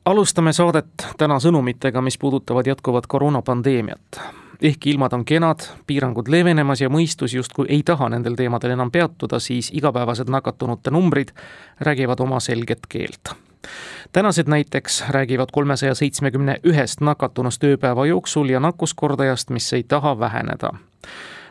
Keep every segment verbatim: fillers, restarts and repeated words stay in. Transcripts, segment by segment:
Alustame saadet täna sõnumitega, mis puudutavad jätkuvat koroonapandeemiat. Ehkki ilmad on kenad, piirangud leevenemas ja mõistus justkui ei taha nendel teemadel enam peatuda, siis igapäevased nakatunute numbrid räägivad oma selget keelt. Tänased näiteks räägivad kolmesaja seitsmekümne ühest nakatunust ööpäeva jooksul ja nakkuskordajast, mis ei taha väheneda.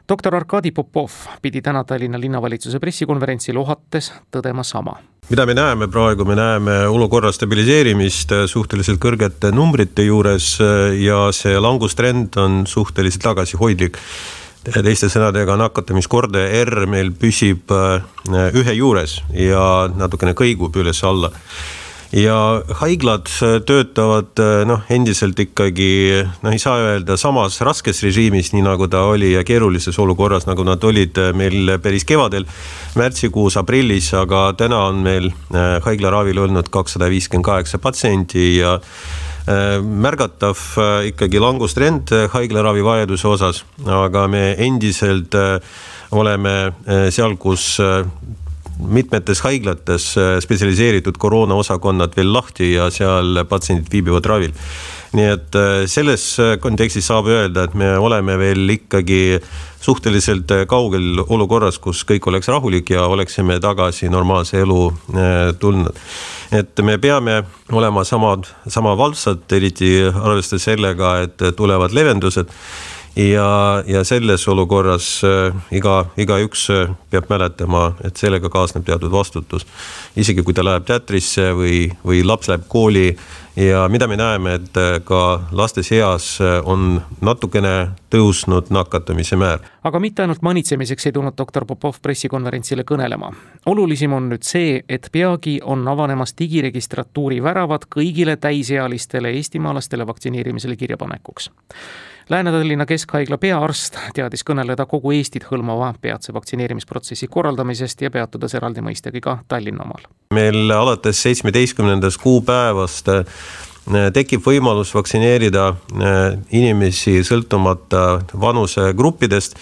Doktor Arkadi Popov pidi täna Tallinna linnavalitsuse pressikonverentsil ohates tõdema sama. Mida me näeme praegu? Me näeme olukorra stabiliseerimist suhteliselt kõrgete numbrite juures ja see langustrend on suhteliselt tagasihoidlik. Teiste sõnadega nakatamiskordaja R meil püsib ühe juures ja natukene kõigub üles alla. Ja haiglad töötavad noh, endiselt ikkagi, noh, ei saa öelda samas raskes režiimis, nii nagu ta oli ja keerulises olukorras, nagu nad olid meil päris kevadel, märtsikuus, aprillis, aga täna on meil haiglaravil olnud kakssada viiskümmend kaheksa patsienti ja märgatav ikkagi langustrend haiglaravi vajaduse osas, aga me endiselt oleme seal, kus mitmetes haiglates spetsialiseeritud koroona osakonnad veel lahti ja seal patsiendid viibivad ravil. Nii et selles kontekstis saab öelda, et me oleme veel ikkagi suhteliselt kaugel olukorras, kus kõik oleks rahulik ja oleksime tagasi normaalse elu tulnud. Et me peame olema sama, sama valvsad, eriti arvestades sellega, et tulevad levendused. Ja, ja selles olukorras iga, iga üks peab mäletama, et sellega kaasneb teatud vastutus. Isegi kui ta läheb teatrisse või, või laps läheb kooli ja mida me näeme, et ka laste seas on natukene tõusnud nakatumise määr. Aga mitte ainult manitsemiseks ei tulnud doktor Popov pressikonverentsile kõnelema. Olulisim on nüüd see, et peagi on avanemas digiregistratuuri väravad kõigile täisealistele eestimaalastele vaktsineerimisele kirjapanekuks. Lääne-Tallinna Keskhaigla peaarst teadis kõneleda kogu Eestit hõlmava peatse vaktsineerimisprotsessi korraldamisest ja peatudes eraldi mõistagi ka Tallinna omal. Meil alates seitsmeteistkümnendast kuupäevast tekib võimalus vaktsineerida inimesi sõltumata vanusegruppidest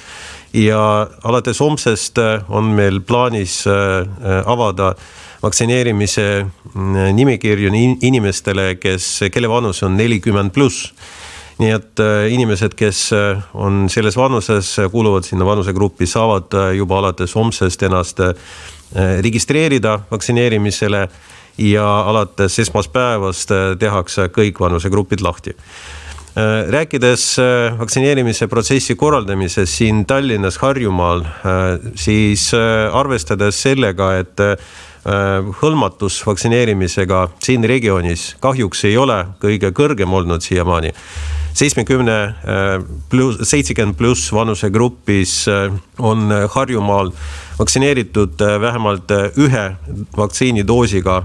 ja alates homsest on meil plaanis avada vaktsineerimise nimekirju inimestele, kes, kelle vanus on nelikümmend pluss. Nii et inimesed, kes on selles vanuses, kuuluvad sinna vanusegruppi, saavad juba alates homsest ennast registreerida vaktsineerimisele ja alates esmaspäevast tehakse kõik vanusegrupid lahti. Rääkides vaktsineerimise protsessi korraldamises siin Tallinnas, Harjumaal, siis arvestades sellega, et hõlmatus vaktsineerimisega siin regioonis kahjuks ei ole kõige kõrgem olnud siiamaani. seitsekümmend pluss vanusegrupis on Harjumaal vaktsineeritud vähemalt ühe vaktsiinidoosiga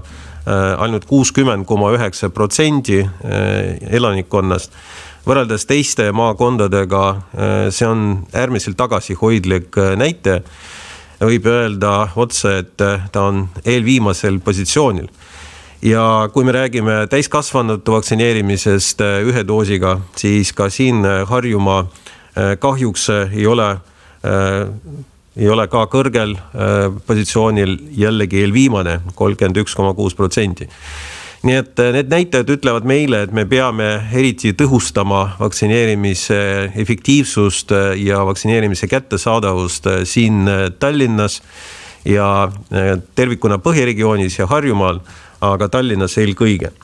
ainult kuuskümmend koma üheksa protsenti elanikkonnast. Võrreldes teiste maakondadega see on äärmiselt tagasihoidlik näite. Võib öelda otse, et ta on eelviimasel positsioonil. Ja kui me räägime täiskasvanute vaktsineerimisest ühe doosiga, siis ka siin Harjumaa kahjuks ei ole, ei ole ka kõrgel positsioonil jällegi eelviimane kolmkümmend üks koma kuus protsenti. Nii et need näitajad ütlevad meile, et me peame eriti tõhustama vaktsineerimise efektiivsust ja vaktsineerimise kättesaadavust siin Tallinnas ja tervikuna Põhjaregioonis ja Harjumaal, aga Tallinnas eelkõige.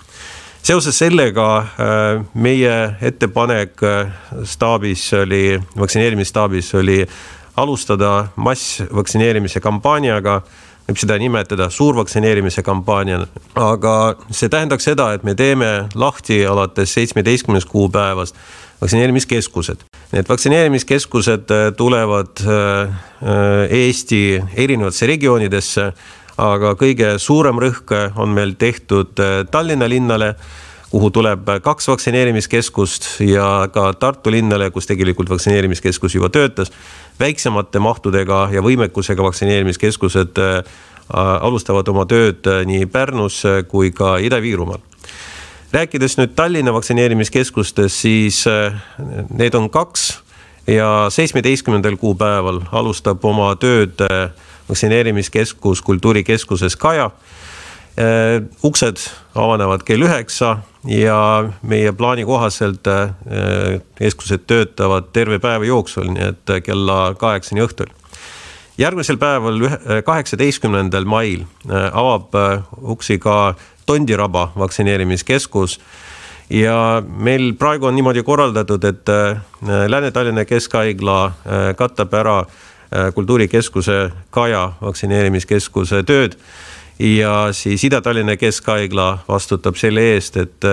Seoses sellega meie ettepanek staabis oli, vaktsineerimisstaabis oli alustada massvaktsineerimise kampaaniaga, võib seda nimetada suurvaktsineerimise kampaaniana, aga see tähendaks seda, et me teeme lahti alates seitsmeteistkümnendast kuupäevast vaktsineerimiskeskused. Need vaktsineerimiskeskused tulevad Eesti erinevatesse regioonidesse, aga kõige suurem rõhk on meil tehtud Tallinna linnale, kuhu tuleb kaks vaktsineerimiskeskust ja ka Tartu linnale, kus tegelikult vaktsineerimiskeskus juba töötas. Väiksemate mahtudega ja võimekusega vaktsineerimiskeskused alustavad oma tööd nii Pärnus kui ka Ida-Viirumaal. Rääkides nüüd Tallinna vaktsineerimiskeskustest, siis need on kaks ja seitsmeteistkümnendal kuupäeval alustab oma tööd vaktsineerimiskeskus Kultuurikeskuses Kaja Uksed avanevad kell üheksa ja meie plaani kohaselt keskused töötavad terve päeva jooksul, nii et kella kaheksani õhtul. Järgmisel päeval kaheksateistkümnendal mail avab uksi ka Tondiraba vaktsineerimiskeskus ja meil praegu on niimoodi korraldatud, et Lääne-Tallinna Keskhaigla katab ära kultuurikeskuse Kaja vaktsineerimiskeskuse tööd ja siis Ida-Tallinna Keskhaigla vastutab selle eest, et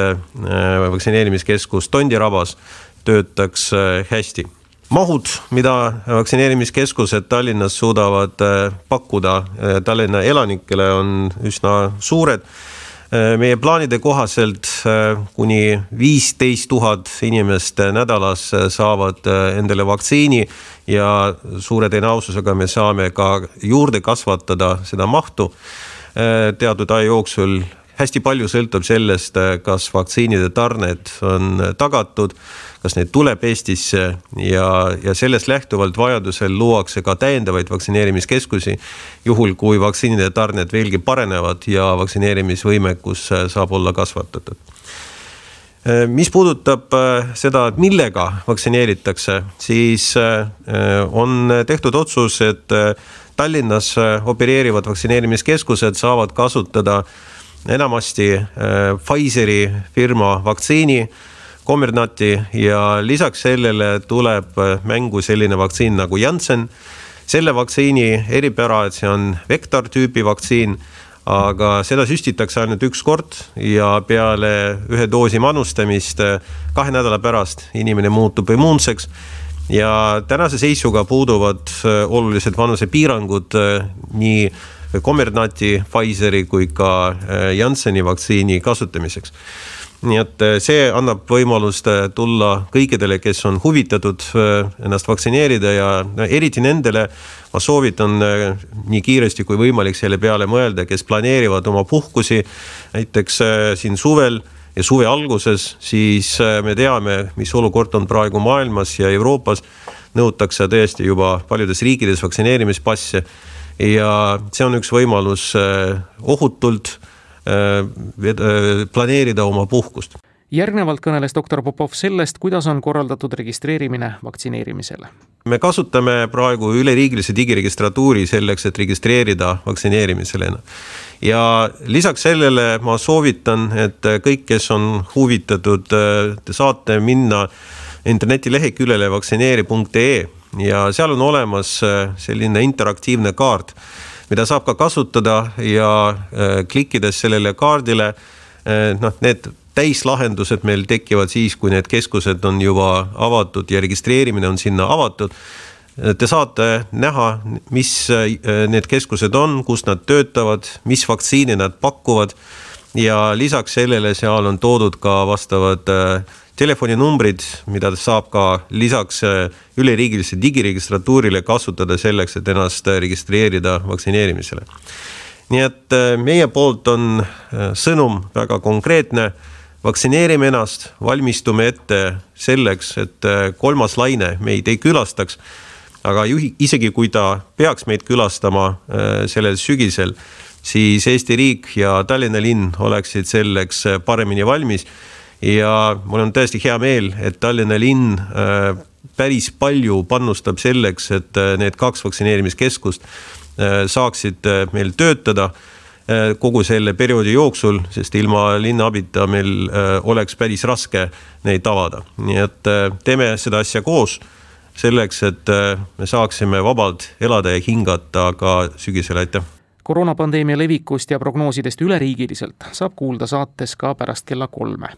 vaktsineerimiskeskus Tondirabas töötaks hästi. Mahud, mida vaktsineerimiskeskused Tallinnas suudavad pakkuda Tallinna elanikele, on üsna suured. Meie plaanide kohaselt kuni viisteist tuhat inimest nädalas saavad endale vaktsiini ja suure tõenäosusega me saame ka juurde kasvatada seda mahtu teatud aja jooksul. Hästi palju sõltub sellest, kas vaktsiinide tarned on tagatud, kas need tuleb Eestisse ja, ja sellest lähtuvalt vajadusel luuakse ka täiendavaid vaktsineerimiskeskusi, juhul kui vaktsiinide tarned veelgi parenevad ja vaktsineerimisvõimekus saab olla kasvatatud. Mis puudutab seda, millega vaktsineeritakse, siis on tehtud otsus, et Tallinnas opereerivad vaktsineerimiskeskused saavad kasutada enamasti Pfizeri firma vaktsiini, Comirnaty ja lisaks sellele tuleb mängu selline vaktsiin nagu Janssen. Selle vaktsiini eripära, et see on vektortüüpi vaktsiin, aga seda süstitakse ainult üks kord ja peale ühe doosi manustamist kahe nädala pärast inimene muutub immuunseks. Ja tänase seisuga puuduvad olulised vanusepiirangud nii Comirnaty, Pfizeri kui ka Jansseni vaktsiini kasutamiseks. Nii et see annab võimalust tulla kõikidele, kes on huvitatud ennast vaktsineerida ja eriti nendele ma soovitan nii kiiresti kui võimalik selle peale mõelda, kes planeerivad oma puhkusi näiteks siin suvel ja suve alguses, siis me teame, mis olukord on praegu maailmas ja Euroopas. Nõutakse tõesti juba paljudes riikides vaktsineerimispasse ja see on üks võimalus ohutult planeerida oma puhkust. Järgnevalt kõneles doktor Popov sellest, kuidas on korraldatud registreerimine vaktsineerimisele. Me kasutame praegu üleriigilise digiregistratuuri selleks, et registreerida vaktsineerimisele. Ja lisaks sellele ma soovitan, et kõik, kes on huvitatud, te saate minna internetileheküljele vaktsineeri punkt ee ja seal on olemas selline interaktiivne kaart, mida saab ka kasutada ja klikkides sellele kaardile, noh, need täislahendused meil tekivad siis, kui need keskused on juba avatud ja registreerimine on sinna avatud. Te saate näha, mis need keskused on, kus nad töötavad, mis vaktsiini nad pakuvad ja lisaks sellele seal on toodud ka vastavad telefoninumbrid, mida saab ka lisaks üleriigilise digiregistratuurile kasutada selleks, et ennast registreerida vaktsineerimisele. Nii et meie poolt on sõnum väga konkreetne. Vaktsineerime ennast, valmistume ette selleks, et kolmas laine meid ei külastaks, aga isegi kui ta peaks meid külastama sellel sügisel, siis Eesti riik ja Tallinna linn oleksid selleks paremini valmis. Ja mul on tõesti hea meel, et Tallinna linn päris palju panustab selleks, et need kaks vaktsineerimiskeskust saaksid meil töötada kogu selle perioodi jooksul, sest ilma linna abita meil oleks päris raske neid avada. Nii et teeme seda asja koos selleks, et me saaksime vabalt elada ja hingata ka sügisel. Aitäh! Koroonapandeemia levikust ja prognoosidest üleriigiliselt saab kuulda saates ka pärast kella kolme.